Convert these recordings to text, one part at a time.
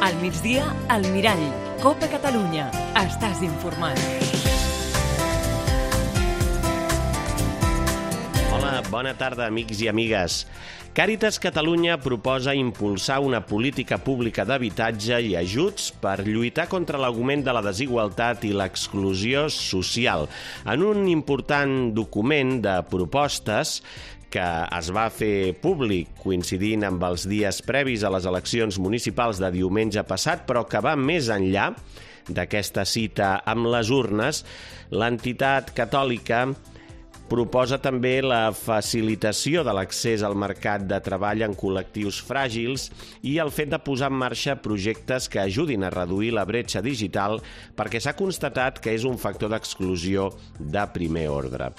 Al migdia, al Mirall. Copa Catalunya. Estàs informat. Hola, bona tarda, amics i amigues. Càritas Catalunya proposa impulsar una política pública d'habitatge i ajuts per lluitar contra l'augment de la desigualtat i l'exclusió social. En un important document de propostes que es va fer públic coincidint amb els dies previs a les eleccions municipals de diumenge passat, però que va més enllà d'aquesta cita amb les urnes, l'entitat catòlica proposa també la facilitació de l'accés al mercat de treball en col·lectius fràgils i el fet de posar en marxa projectes que ajudin a reduir la bretxa digital perquè s'ha constatat que és un factor d'exclusió de primer ordre.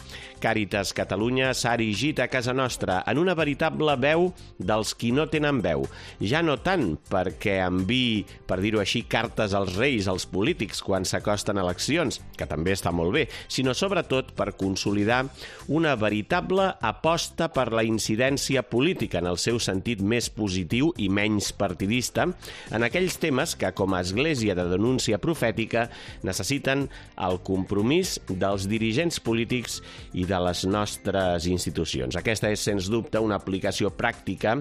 Càritas Catalunya s'ha erigit a casa nostra en una veritable veu dels qui no tenen veu. Ja no tant perquè enviï, per dir-ho així, cartes als reis, als polítics, quan s'acosten eleccions, que també està molt bé, sinó sobretot per consolidar una veritable aposta per la incidència política en el seu sentit més positiu i menys partidista en aquells temes que, com a església de denúncia profètica, necessiten el compromís dels dirigents polítics i de les nostres institucions. Aquesta és, sens dubte, una aplicació pràctica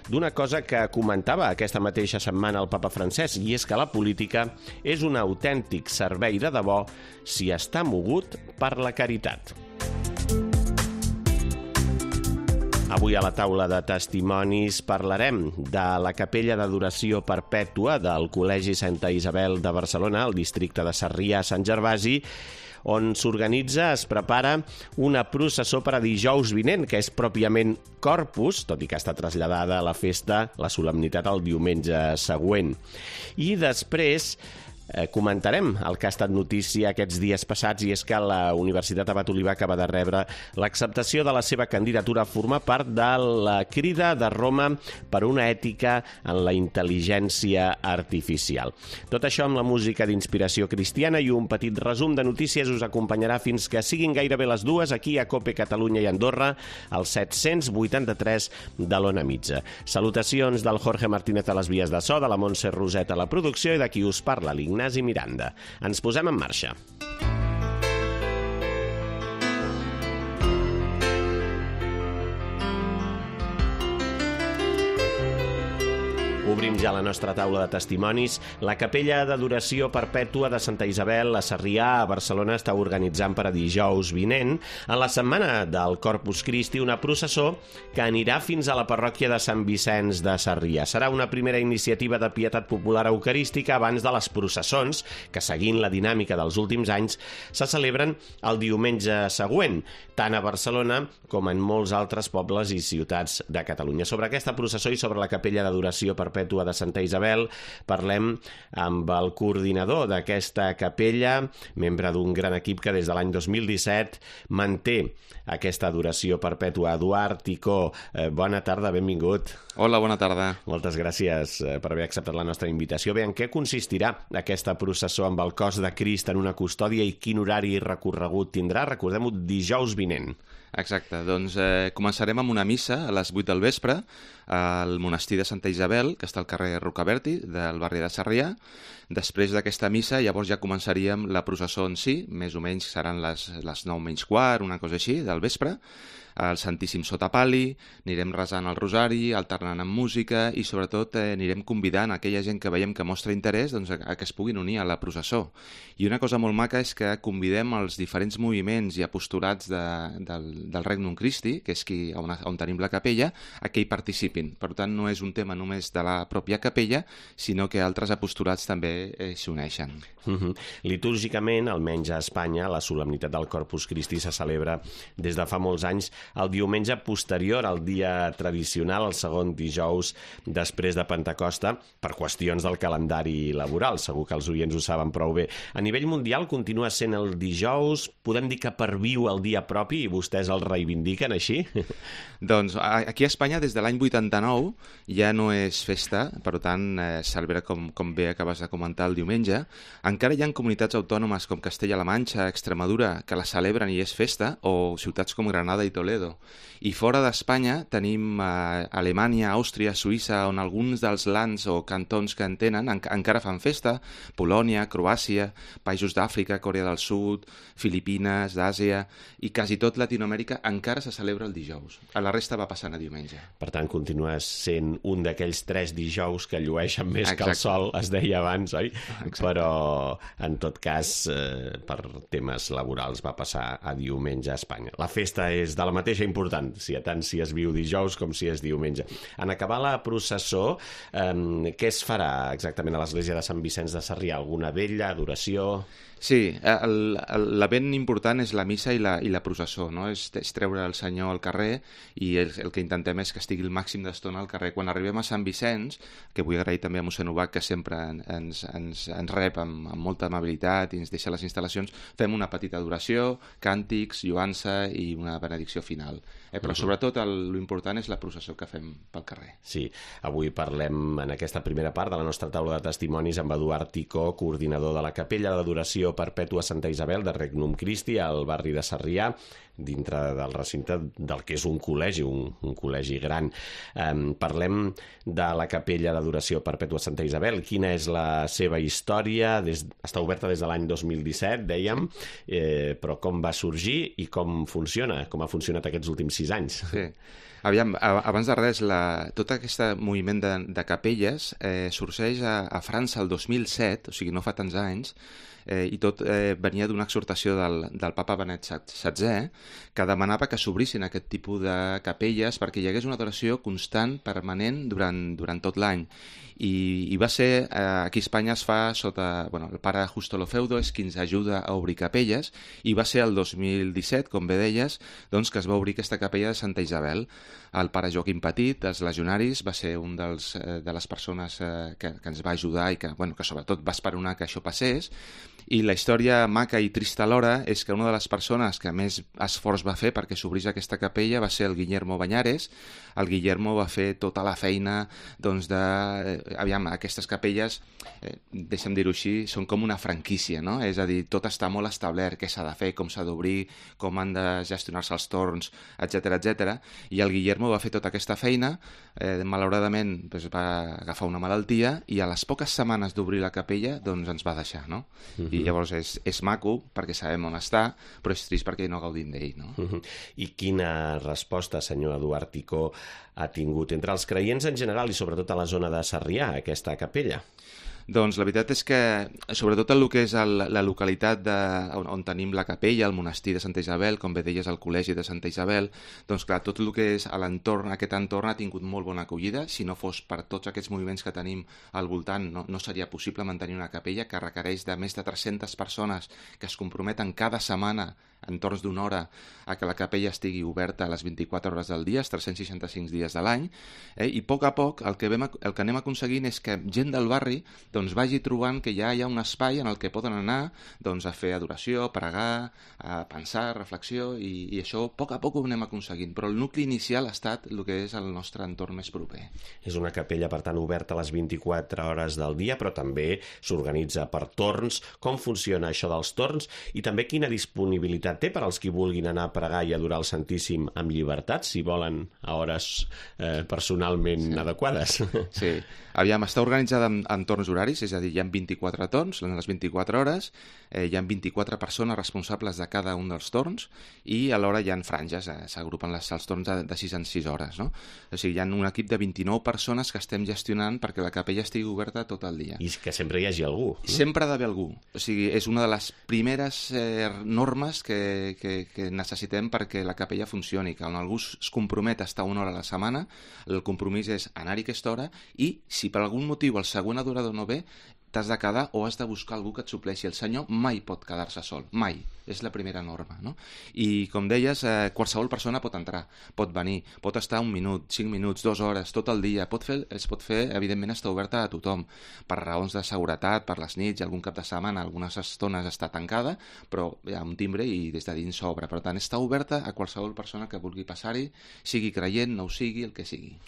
d'una cosa que comentava aquesta mateixa setmana el papa Francesc, i és que la política és un autèntic servei de debò si està mogut per la caritat. Avui a la taula de testimonis parlarem de la capella d'adoració perpètua del Col·legi Santa Isabel de Barcelona, al districte de Sarrià-Sant Gervasi, on s'organitza, es prepara una processó per a dijous vinent, que és pròpiament Corpus, tot i que està traslladada a la festa, la solemnitat, el diumenge següent. I després comentarem el que ha estat notícia aquests dies passats, i és que la Universitat Abat Olivar acaba de rebre l'acceptació de la seva candidatura a formar part de la Crida de Roma per una ètica en la intel·ligència artificial. Tot això amb la música d'inspiració cristiana i un petit resum de notícies us acompanyarà fins que siguin gairebé les 2 aquí a Cope Catalunya i Andorra, al 783 de l'Ona Mitja. Salutacions del Jorge Martínez a les vies de so, de la Montse Roset a la producció i de qui us parla, l'Ignasi Miranda. Ens posem en marxa. Obrim ja la nostra taula de testimonis. La capella d'adoració perpètua de Santa Isabel a Sarrià, a Barcelona, està organitzant per a dijous vinent, en la setmana del Corpus Christi, una processó que anirà fins a la parròquia de Sant Vicenç de Sarrià. Serà una primera iniciativa de pietat popular eucarística abans de les processons, que, seguint la dinàmica dels últims anys, se celebren el diumenge següent, tant a Barcelona com en molts altres pobles i ciutats de Catalunya. Sobre aquesta processó i sobre la capella d'adoració perpètua de Santa Isabel parlem amb el coordinador d'aquesta capella, membre d'un gran equip que des de l'any 2017 manté aquesta adoració perpètua. Eduard Ticó, bona tarda, benvingut. Hola, bona tarda. Moltes gràcies per haver acceptat la nostra invitació. Bé, en què consistirà aquesta processó amb el cos de Crist en una custòdia i quin horari i recorregut tindrà? Recordem-ho, dijous vinent. Exacte, doncs començarem amb una missa a les 8 del vespre al monestir de Santa Isabel, que està al carrer Rocaberti, del barri de Sarrià. Després d'aquesta missa, llavors ja començaríem la processó en si, més o menys seran les 9 menys quart, una cosa així, del vespre, al Santíssim sota pal·li, anirem resant el rosari, alternant amb música i sobretot anirem convidant aquella gent que veiem que mostra interès doncs, a que es puguin unir a la processó. I una cosa molt maca és que convidem els diferents moviments i apostolats del Regnum Christi, que és on tenim la capella, a que hi participin. Per tant, no és un tema només de la pròpia capella, sinó que altres apostolats també s'hi uneixen. Litúrgicament, almenys a Espanya, la solemnitat del Corpus Christi se celebra des de fa molts anys el diumenge posterior al dia tradicional, el segon dijous després de Pentecosta, per qüestions del calendari laboral. Segur que els oients ho saben prou bé. A nivell mundial continua sent el dijous, podem dir que perviu el dia propi i vostès el reivindiquen així? Doncs aquí a Espanya des de l'any 89 ja no és festa, per tant celebra com bé acabes de comentar el diumenge. Encara hi ha comunitats autònomes com Castella-La Manxa, Extremadura, que la celebren i és festa, o ciutats com Granada i Toledo, Toledo. I fora d'Espanya tenim Alemanya, Àustria, Suïssa, on alguns dels lands o cantons que en tenen encara fan festa, Polònia, Croàcia, països d'Àfrica, Corea del Sud, Filipines, d'Àsia, i quasi tot Latinoamèrica encara se celebra el dijous. A la resta va passant a diumenge. Per tant, continues sent un d'aquells 3 dijous que llueixen més que el sol, es deia abans, oi? Exacte. Però, en tot cas, per temes laborals va passar a diumenge a Espanya. La festa és de la mateixa important, tant si es viu dijous com si és diumenge. En acabar la processó, què es farà exactament a l'església de Sant Vicenç de Sarrià? Alguna vetlla, adoració? Sí, l'event important és la missa i la processó, no? És treure el senyor al carrer i el que intentem és que estigui el màxim d'estona al carrer. Quan arribem a Sant Vicenç, que vull agrair també a mossèn Ubach, que sempre ens rep amb molta amabilitat i ens deixa les instal·lacions, fem una petita adoració, càntics, lloança i una benedicció final. Però sobretot l'important és la processó que fem pel carrer. Sí, avui parlem en aquesta primera part de la nostra taula de testimonis amb Eduard Ticó, coordinador de la Capella d'Adoració Perpètua Santa Isabel de Regnum Christi al barri de Sarrià, dintre del recinte del que és un col·legi, un col·legi gran. Parlem de la Capella d'Adoració Perpètua Santa Isabel. Quina és la seva història? Està oberta des de l'any 2017, dèiem, però com va sorgir i com funciona? Com ha funcionat aquests últims 6 anys? Sí. Aviam, abans de res, tot aquest moviment de capelles sorgeix a França el 2007, o sigui, no fa tants anys, i tot venia d'una exhortació del papa Benet XVI, que demanava que s'obrissin aquest tipus de capelles perquè hi hagués una adoració constant, permanent, durant tot l'any. I va ser, aquí a Espanya es fa sota, el pare Justo Lofeudo és qui ens ajuda a obrir capelles, i va ser el 2017, com bé deies, doncs que es va obrir aquesta capella de Santa Isabel. El pare Joaquim Petit, dels legionaris, va ser un de les persones que ens va ajudar i que sobretot va esperonar que això passés. I la història maca i trista alhora és que una de les persones que més esforç va fer perquè s'obrís aquesta capella va ser el Guillermo Bañares. El Guillermo va fer tota la feina aquestes capelles, deixa'm dir-ho així, són com una franquícia, no? És a dir, tot està molt establert, què s'ha de fer, com s'ha d'obrir, com han de gestionar-se els torns, etc. I el Guillermo va fer tota aquesta feina, malauradament va agafar una malaltia i a les poques setmanes d'obrir la capella doncs ens va deixar, no? I llavors és maco perquè sabem on està, però és trist perquè no gaudim d'ell, no? I quina resposta, senyor Eduard Ticó, ha tingut entre els creients en general i sobretot a la zona de Sarrià, aquesta capella? Doncs la veritat és que, sobretot el que és la localitat on tenim la capella, el monestir de Santa Isabel, com bé deies, el col·legi de Santa Isabel, doncs clar, tot el que és a l'entorn, aquest entorn ha tingut molt bona acollida. Si no fos per tots aquests moviments que tenim al voltant, no seria possible mantenir una capella que requereix de més de 300 persones que es comprometen cada setmana en torns d'una hora a que la capella estigui oberta a les 24 hores del dia, els 365 dies de l'any, i a poc el que anem aconseguint és que gent del barri doncs vagi trobant que ja hi ha un espai en el que poden anar doncs, a fer adoració, a pregar, a pensar, reflexió, i això a poc ho anem aconseguint, però el nucli inicial ha estat el que és el nostre entorn més proper. És una capella, per tant, oberta a les 24 hores del dia, però també s'organitza per torns. Com funciona això dels torns? I també quina disponibilitat té per als qui vulguin anar a pregar i adorar el Santíssim amb llibertat, si volen a hores personalment adequades? Sí. Aviam, està organitzada en torns horaris, és a dir, hi ha 24 torns, en les 24 hores, hi ha 24 persones responsables de cada un dels torns i alhora hi ha franges, s'agrupen els torns de 6 en 6 hores, no? O sigui, hi ha un equip de 29 persones que estem gestionant perquè la capella estigui oberta tot el dia. I que sempre hi hagi algú. Sempre ha d'haver algú. O sigui, és una de les primeres normes que necessitem perquè la capella funcioni, que on algú es compromet a estar una hora a la setmana, el compromís és anar-hi aquesta hora i, si per algun motiu el següent adorador no ve, t'has de quedar o has de buscar algú que et supleixi. El senyor mai pot quedar-se sol, mai. És la primera norma, no? I, com deies, qualsevol persona pot entrar, pot venir, pot estar 1 minut, 5 minuts, 2 hores, tot el dia. Es pot fer, evidentment, està oberta a tothom, per raons de seguretat, per les nits, algun cap de setmana, algunes estones està tancada, però hi ha un timbre i des de dins s'obre. Per tant, està oberta a qualsevol persona que vulgui passar-hi, sigui creient, no ho sigui, el que sigui.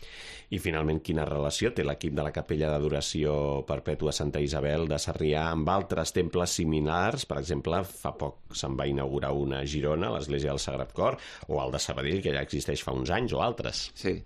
I, finalment, quina relació té l'equip de la Capella d'Adoració Perpètua Santa Isabel de Sarrià amb altres temples similars? Per exemple, fa poc se'n se'n va inaugurar una a Girona, l'Església del Sagrat Cor, o el de Sabadell, que ja existeix fa uns anys, o altres. Sí.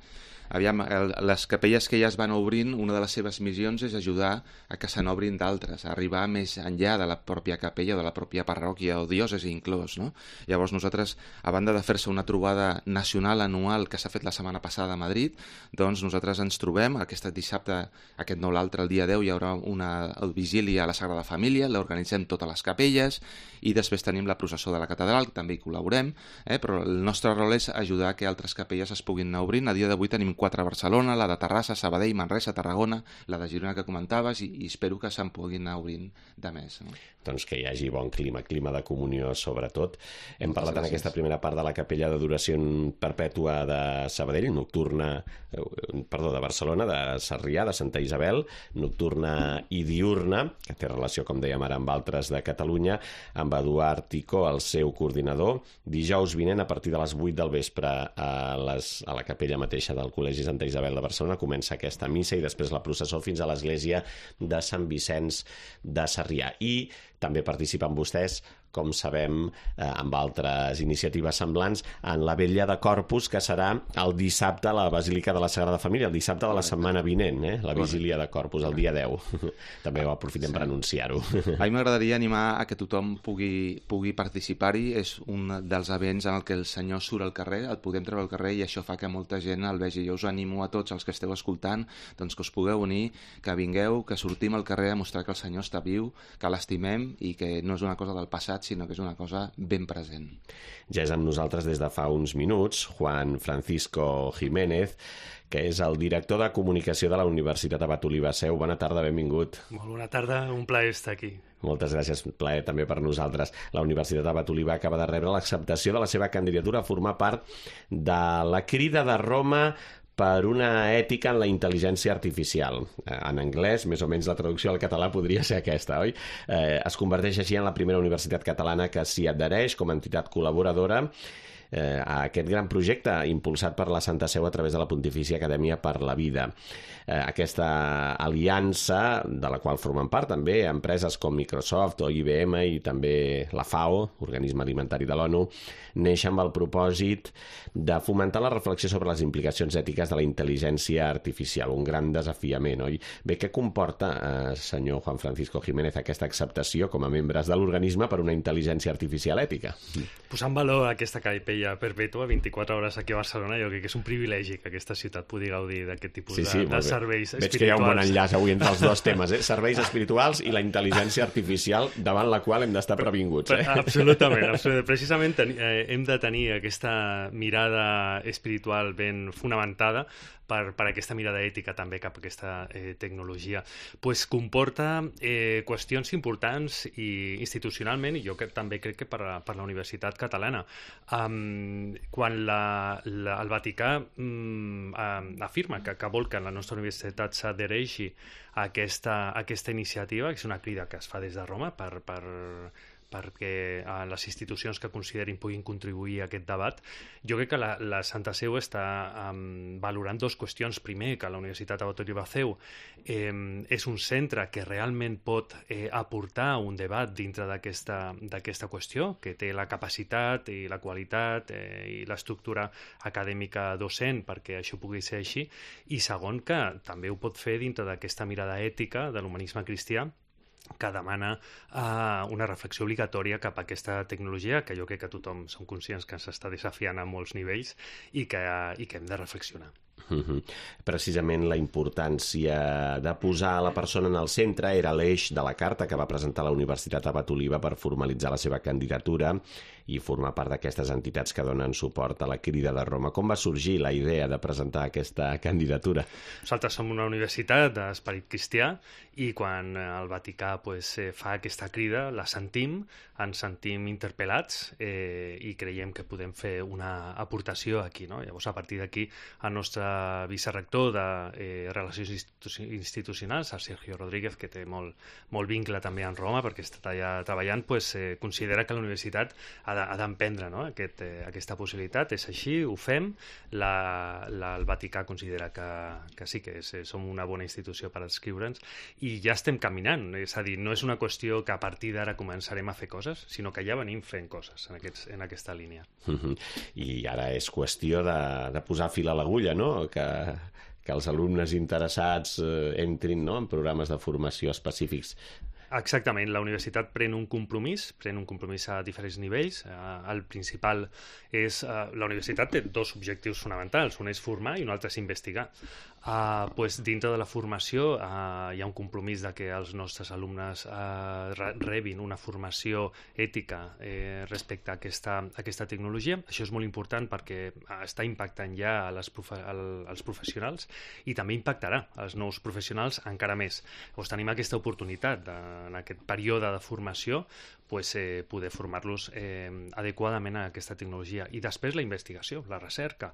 Aviam, les capelles que ja es van obrint, una de les seves missions és ajudar a que se n'obrin d'altres, a arribar més enllà de la pròpia capella, de la pròpia parròquia o diòcesi inclòs, no? Llavors nosaltres, a banda de fer-se una trobada nacional anual que s'ha fet la setmana passada a Madrid, doncs nosaltres ens trobem, aquest dissabte, aquest no l'altre, el dia 10, hi haurà una vigília a la Sagrada Família, l'organitzem totes les capelles, i després tenim la processó de la catedral, que també hi col·laborem, però el nostre rol és ajudar que altres capelles es puguin anar obrint. A dia d'avui tenim 4 a Barcelona, la de Terrassa, Sabadell, Manresa, Tarragona, la de Girona que comentaves, i espero que se'n puguin anar obrint de més. No? Doncs que hi hagi bon clima de comunió sobretot. Hem parlat en aquesta primera part de la capella d'adoració perpètua de Sabadell, de Barcelona, de Sarrià, de Santa Isabel, nocturna i diurna, que té relació, com dèiem ara, amb altres de Catalunya, amb Eduard Ticó, el seu coordinador. Dijous vinent, a partir de les 8 del vespre, a la capella mateixa del Col·legi Santa Isabel de Barcelona, comença aquesta missa i després la processó fins a l'església de Sant Vicenç de Sarrià. I també participen vostès, com sabem, amb altres iniciatives semblants, en la vetlla de Corpus, que serà el dissabte a la Basílica de la Sagrada Família, el dissabte de la setmana vinent, la vigília de Corpus, el dia 10. També ho aprofitem per anunciar-ho. A mi m'agradaria animar a que tothom pugui participar-hi. És un dels events en el que el Senyor surt al carrer, el podem treure al carrer, i això fa que molta gent el vegi. Jo us animo a tots els que esteu escoltant, doncs que us pugueu unir, que vingueu, que sortim al carrer a mostrar que el Senyor està viu, que l'estimem i que no és una cosa del passat, sinó que és una cosa ben present. Ja és amb nosaltres des de fa uns minuts Juan Francisco Jiménez, que és el director de comunicació de la Universitat Abat Oliba Seu. Bona tarda, benvingut. Molt bona tarda, un plaer estar aquí. Moltes gràcies, plaer també per nosaltres. La Universitat Abat Oliba acaba de rebre l'acceptació de la seva candidatura a formar part de la Crida de Roma per una ètica en la intel·ligència artificial. En anglès, més o menys la traducció al català podria ser aquesta, oi? Es converteix així en la primera universitat catalana que s'hi adhereix com a entitat col·laboradora a aquest gran projecte impulsat per la Santa Seu a través de la Pontifícia Acadèmia per la Vida. Aquesta aliança, de la qual formen part també empreses com Microsoft o IBM i també la FAO, Organisme Alimentari de l'ONU, neix amb el propòsit de fomentar la reflexió sobre les implicacions ètiques de la intel·ligència artificial, un gran desafiament, oi? Bé, què comporta, senyor Juan Francisco Jiménez, aquesta acceptació com a membres de l'organisme per una intel·ligència artificial ètica? Posar en valor aquesta capella perpètua, 24 hores aquí a Barcelona, jo crec que és un privilegi que aquesta ciutat pugui gaudir d'aquest tipus de serveis espirituals. Veig que hi ha un bon enllaç avui entre els dos temes, serveis espirituals i la intel·ligència artificial, davant la qual hem d'estar previnguts. Absolutament. Precisament hem de tenir aquesta mirada espiritual ben fonamentada per aquesta mirada ètica també cap a aquesta tecnologia. Pues comporta qüestions importants i institucionalment, i jo també crec que per la Universitat Catalana. Quan el Vaticà afirma que vol que la nostra universitat s'adhereixi a aquesta iniciativa, que és una crida que es fa des de Roma perquè les institucions que considerin puguin contribuir a aquest debat. Jo crec que la Santa Seu està valorant dues qüestions. Primer, que la Universitat Abat Oliba Seu és un centre que realment pot aportar un debat dintre d'aquesta qüestió, que té la capacitat i la qualitat i l'estructura acadèmica docent perquè això pugui ser així. I segon, que també ho pot fer dintre d'aquesta mirada ètica de l'humanisme cristià, que demana una reflexió obligatòria cap a aquesta tecnologia, que jo crec que tothom som conscients que ens està desafiant a molts nivells i que hem de reflexionar. Precisament la importància de posar la persona en el centre era l'eix de la carta que va presentar la Universitat Abat Oliba per formalitzar la seva candidatura i formar part d'aquestes entitats que donen suport a la Crida de Roma. Com va sorgir la idea de presentar aquesta candidatura? Nosaltres som una universitat d'esperit cristià i quan el Vaticà fa aquesta crida la sentim, ens sentim interpel·lats i creiem que podem fer una aportació aquí, no? Llavors, a partir d'aquí, el nostre vicerrector de Relacions Institucionals, el Sergio Rodríguez, que té molt vincle també amb Roma, perquè està allà treballant, considera que la universitat ha d'emprendre, no? Aquesta possibilitat. És així, ho fem. El Vaticà considera que sí, que som una bona institució per adscriure'ns, i ja estem caminant. És a dir, no és una qüestió que a partir d'ara començarem a fer coses, sinó que ja venim fent coses en aquesta línia. I ara és qüestió de posar fil a l'agulla, no? Que els alumnes interessats entrin, no?, en programes de formació específics. Exactament, la universitat pren un compromís a diferents nivells. El principal és... La universitat té dos objectius fonamentals, un és formar i un altre és investigar. Dintre de la formació hi ha un compromís de que els nostres alumnes rebin una formació ètica respecte a aquesta tecnologia. Això és molt important perquè està impactant ja als professionals i també impactarà als nous professionals encara més. Llavors tenim aquesta oportunitat en aquest període de formació poder formar-los adequadament a aquesta tecnologia. I després la investigació, la recerca.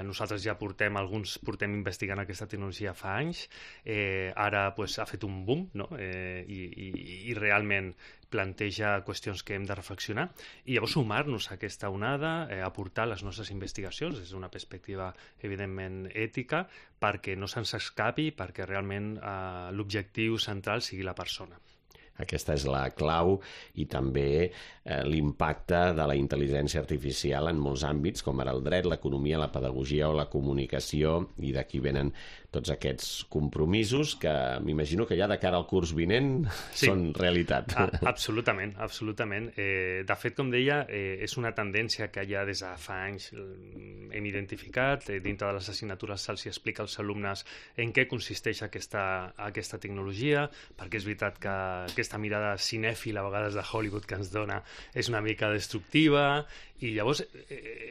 Nosaltres ja portem investigant aquesta tecnologia fa anys. Ara ha fet un boom, no? I realment planteja qüestions que hem de reflexionar i llavors sumar-nos a aquesta onada, aportar les nostres investigacions des d'una perspectiva evidentment ètica, perquè no se'ns escapi, perquè realment l'objectiu central sigui la persona. Aquesta és la clau, i també l'impacte de la intel·ligència artificial en molts àmbits, com ara el dret, l'economia, la pedagogia o la comunicació, i d'aquí venen tots aquests compromisos que m'imagino que ja de cara al curs vinent són realitat. Absolutament, absolutament. De fet, com deia, és una tendència que ja des de fa anys hem identificat. Dintre de les assignatures se'ls explica als alumnes en què consisteix aquesta tecnologia, perquè és veritat que aquesta mirada cinèfila a vegades de Hollywood que ens dona és una mica destructiva, i llavors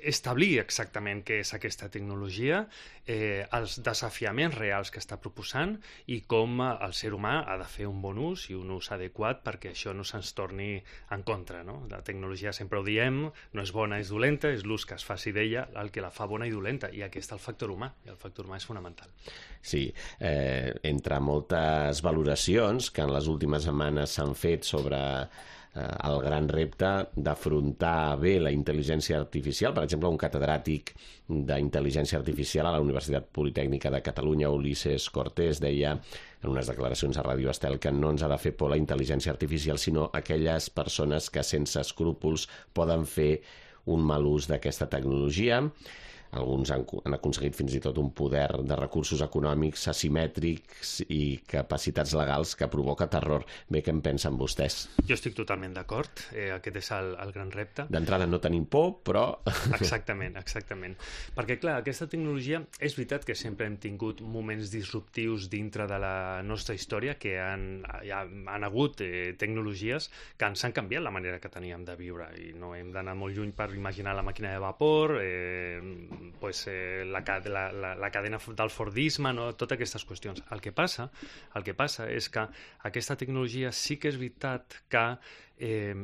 establir exactament què és aquesta tecnologia, els desafiaments reals que està proposant i com el ser humà ha de fer un bon ús i un ús adequat perquè això no se'ns torni en contra, no? La tecnologia, sempre ho diem, no és bona, és dolenta, és l'ús que es faci d'ella el que la fa bona i dolenta, i aquí està el factor humà, i el factor humà és fonamental. Sí, entre moltes valoracions que en les últimes setmanes s'han fet sobre el gran repte d'afrontar bé la intel·ligència artificial. Per exemple, un catedràtic d'intel·ligència artificial a la Universitat Politècnica de Catalunya, Ulises Cortés, deia en unes declaracions a Ràdio Estel que no ens ha de fer por la intel·ligència artificial, sinó aquelles persones que sense escrúpols poden fer un mal ús d'aquesta tecnologia. Alguns han aconseguit fins i tot un poder de recursos econòmics asimètrics i capacitats legals que provoca terror. Bé, què en pensen vostès? Jo estic totalment d'acord. Aquest és el gran repte. D'entrada no tenim por, però... Exactament. Perquè, clar, aquesta tecnologia, és veritat que sempre hem tingut moments disruptius dintre de la nostra història, que han hagut tecnologies que ens han canviat la manera que teníem de viure, i no hem d'anar molt lluny per imaginar la màquina de vapor, la cadena del Fordisme, no? Totes aquestes qüestions. El que passa és que aquesta tecnologia sí que és veritat que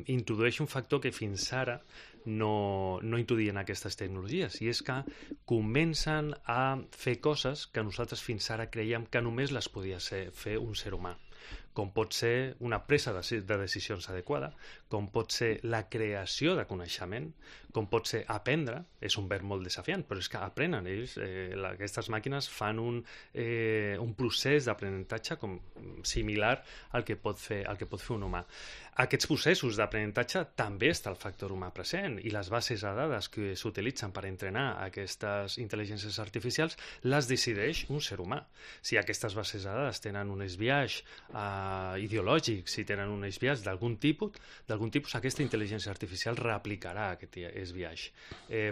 introdueix un factor que fins ara no introduïen aquestes tecnologies, i és que comencen a fer coses que nosaltres fins ara creiem que només les podia fer un ser humà, com pot ser una presa de decisions adequada, com pot ser la creació de coneixement, com pot ser aprendre. És un verb molt desafiant, però és que aprenen ells. Aquestes màquines fan un procés d'aprenentatge similar al que pot fer un humà. Aquests processos d'aprenentatge també està el factor humà present, i les bases de dades que s'utilitzen per entrenar aquestes intel·ligències artificials les decideix un ser humà. Si aquestes bases de dades tenen un esbiaix ideològic, si tenen un esbiaix d'algun tipus, aquesta intel·ligència artificial reaplicarà aquest esbiaix.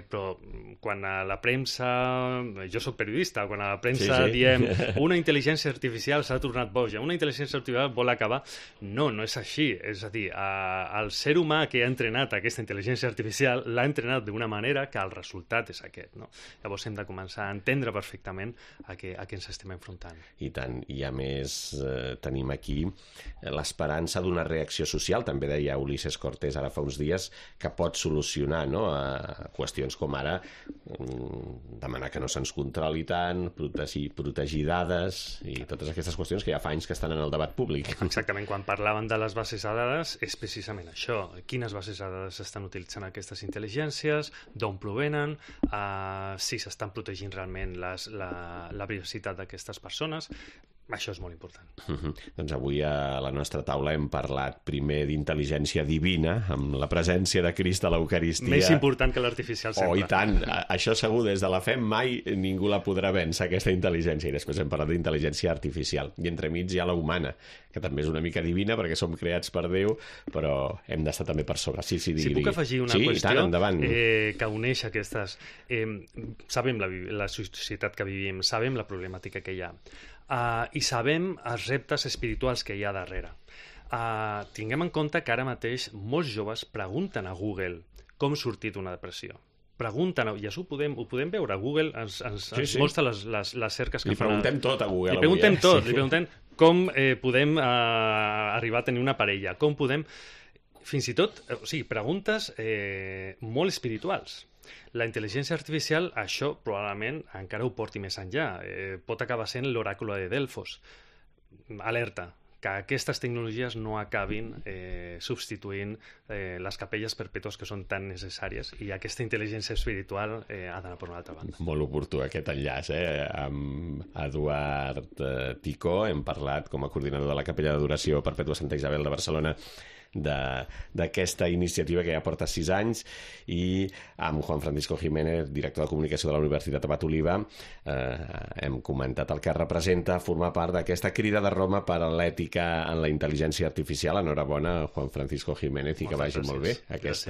Però quan a la premsa, jo soc periodista, quan a la premsa diem una intel·ligència artificial s'ha tornat boja, una intel·ligència artificial vol acabar, no és així. És a dir, el ser humà que ha entrenat aquesta intel·ligència artificial l'ha entrenat d'una manera que el resultat és aquest, no? Llavors hem de començar a entendre perfectament a què ens estem enfrontant. I tant, i a més tenim tenim aquí l'esperança d'una reacció social, també deia Ulises Cortés ara fa uns dies, que pot solucionar, no?, a qüestions com ara demanar que no se'ns controli tant, protegir dades i totes aquestes qüestions que ja fa anys que estan en el debat públic. Exactament, quan parlaven de les bases de dades és precisament això, quines bases de dades s'estan utilitzant aquestes intel·ligències, d'on provenen, si s'estan protegint realment la privacitat d'aquestes persones. Això és molt important. Doncs avui a la nostra taula hem parlat primer d'intel·ligència divina, amb la presència de Crist a l'Eucaristia. Més important que l'artificial sempre. Oh, i tant. Això segur, des de la fe mai ningú la podrà vèncer, aquesta intel·ligència. I després hem parlat d'intel·ligència artificial. I entremig hi ha la humana, que també és una mica divina perquè som creats per Déu, però hem d'estar també per sobre. Sí, digui. Si puc afegir una qüestió que uneix aquestes... Sabem la societat que vivim, sabem la problemàtica que hi ha. I sabem els reptes espirituals que hi ha darrere. Tinguem en compte que ara mateix molts joves pregunten a Google com sortir d'una depressió. Pregunten, i això ho podem veure. Google ens mostra les cerques que fan. Li preguntem tot a Google. Li preguntem tot. Li preguntem com podem arribar a tenir una parella, com podem... Fins i tot, preguntes molt espirituals. La intel·ligència artificial, això probablement encara ho porti més enllà. Pot acabar sent l'oràculo de Delfos. Alerta, que aquestes tecnologies no acabin substituint les capelles perpètues que són tan necessàries, i aquesta intel·ligència espiritual ha d'anar per una altra banda. Molt oportú aquest enllaç. Amb Eduard Ticó hem parlat com a coordinador de la capella d'adoració Perpètua Santa Isabel de Barcelona d'aquesta iniciativa que ja porta 6 anys, i amb Juan Francisco Jiménez, director de comunicació de la Universitat Abat Oliva, hem comentat el que representa formar part d'aquesta crida de Roma per a l'ètica en la intel·ligència artificial. Enhorabona, Juan Francisco Jiménez, i que vagi molt bé aquest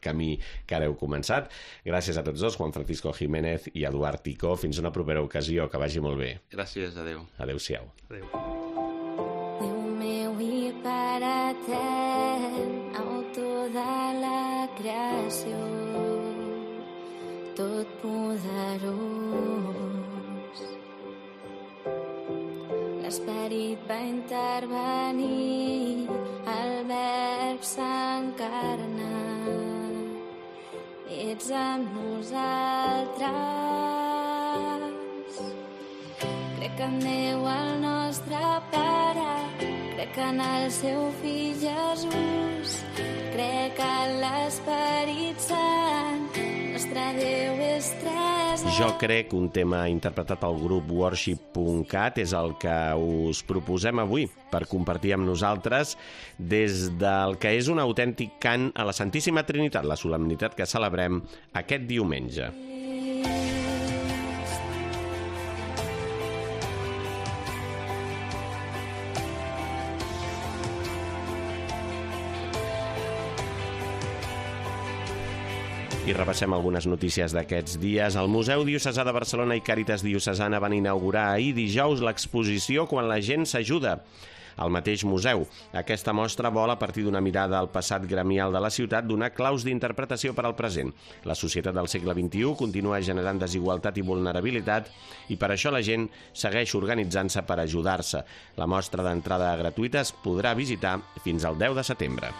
camí que ara heu començat. Gràcies a tots dos, Juan Francisco Jiménez i Eduard Ticó. Fins una propera ocasió, que vagi molt bé. Gràcies, adeu. Adéu-siau. Adéu. Pare etern, autor de la creació, tot poderós. L'esperit va intervenir, el verb s'encarna, ets amb nosaltres. Crec en Déu, el nostre Pare, crec en el seu fill Jesús, crec en l'Esperit Sant, nostre Déu és tres. Jo crec, un tema interpretat pel grup Worship.cat, és el que us proposem avui per compartir amb nosaltres des del que és un autèntic cant a la Santíssima Trinitat, la solemnitat que celebrem aquest diumenge. I repassem algunes notícies d'aquests dies. El Museu Diocesà de Barcelona i Càritas Diocesana van inaugurar ahir dijous l'exposició Quan la gent s'ajuda al mateix museu. Aquesta mostra vol, a partir d'una mirada al passat gremial de la ciutat, donar claus d'interpretació per al present. La societat del segle XXI continua generant desigualtat i vulnerabilitat, i per això la gent segueix organitzant-se per ajudar-se. La mostra d'entrada gratuïta es podrà visitar fins al 10 de setembre.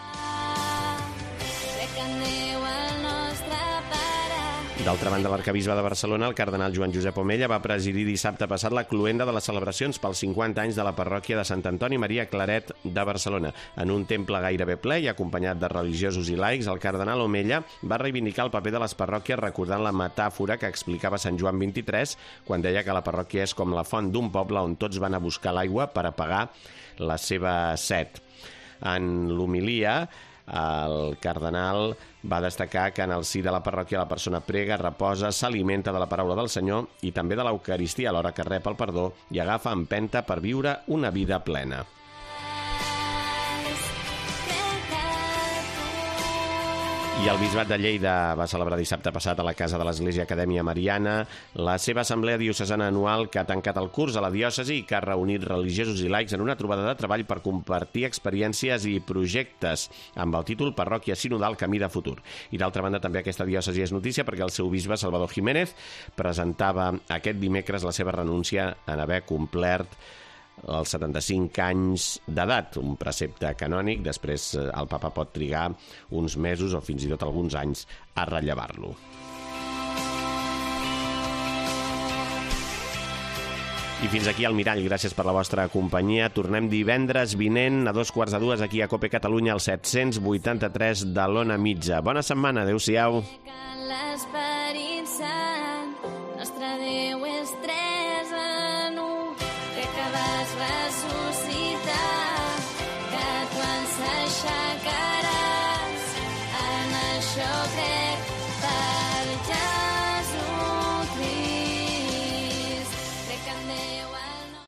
D'altra banda, l'arcabisbe de Barcelona, el cardenal Joan Josep Omella, va presidir dissabte passat la cloenda de les celebracions pels 50 anys de la parròquia de Sant Antoni Maria Claret de Barcelona. En un temple gairebé ple i acompanyat de religiosos i laics, el cardenal Omella va reivindicar el paper de les parròquies recordant la metàfora que explicava Sant Joan 23 quan deia que la parròquia és com la font d'un poble on tots van a buscar l'aigua per apagar la seva set. En l'homilia, el cardenal va destacar que en el si de la parròquia la persona prega, reposa, s'alimenta de la paraula del Senyor i també de l'Eucaristia alhora que rep el perdó i agafa empenta per viure una vida plena. I el Bisbat de Lleida va celebrar dissabte passat a la Casa de l'Església Acadèmia Mariana la seva assemblea diocesana anual que ha tancat el curs a la diòcesi i que ha reunit religiosos i laics en una trobada de treball per compartir experiències i projectes amb el títol Parròquia Sinodal Camí de Futur. I d'altra banda també aquesta diòcesi és notícia perquè el seu bisbe Salvador Jiménez presentava aquest dimecres la seva renúncia en haver complert als 75 anys d'edat, un precepte canònic. Després el papa pot trigar uns mesos o fins i tot alguns anys a rellevar-lo. I fins aquí el Mirall. Gràcies per la vostra companyia. Tornem divendres vinent a 2:45 aquí a Cope Catalunya, al 783 de l'Ona Mitja. Bona setmana. Adéu-siau.